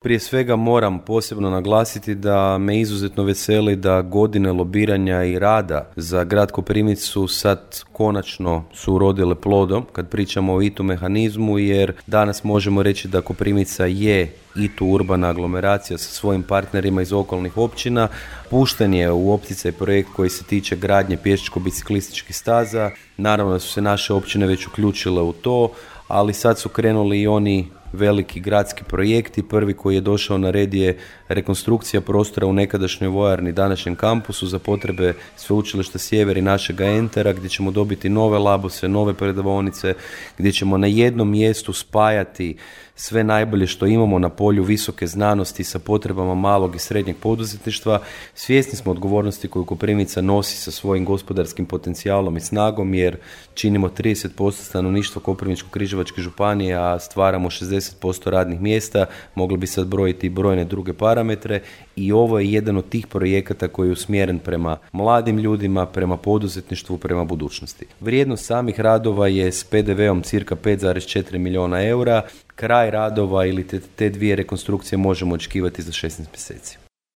Prije svega moram posebno naglasiti da me izuzetno veseli da godine lobiranja i rada za grad Koprivnicu sad konačno su urodile plodom kad pričamo o ITU mehanizmu, jer danas možemo reći da Koprivnica je ITU urbana aglomeracija sa svojim partnerima iz okolnih općina. Pušten je u opticaj projekt koji se tiče gradnje pješačko-biciklističkih staza. Naravno da su se naše općine već uključile u to, ali sad su krenuli i oni veliki gradski projekti. Prvi koji je došao na red je rekonstrukcija prostora u nekadašnjoj vojarni, današnjem kampusu za potrebe Sveučilišta Sjever i našega Entera, gdje ćemo dobiti nove labose, nove predavaonice, gdje ćemo na jednom mjestu spajati sve najbolje što imamo na polju visoke znanosti sa potrebama malog i srednjeg poduzetništva. Svjesni smo odgovornosti koju Koprivnica nosi sa svojim gospodarskim potencijalom i snagom, jer činimo 30% stanovništva Koprivničko-križevačke županije, a stvaramo 60% radnih mjesta. Mogli bi sad brojiti i brojne druge parametre, i ovo je jedan od tih projekata koji je usmjeren prema mladim ljudima, prema poduzetništvu, prema budućnosti. Vrijednost samih radova je s PDV-om cirka 5,4 milijuna eura. Kraj radova ili te dvije rekonstrukcije možemo očekivati za 16 mjeseci.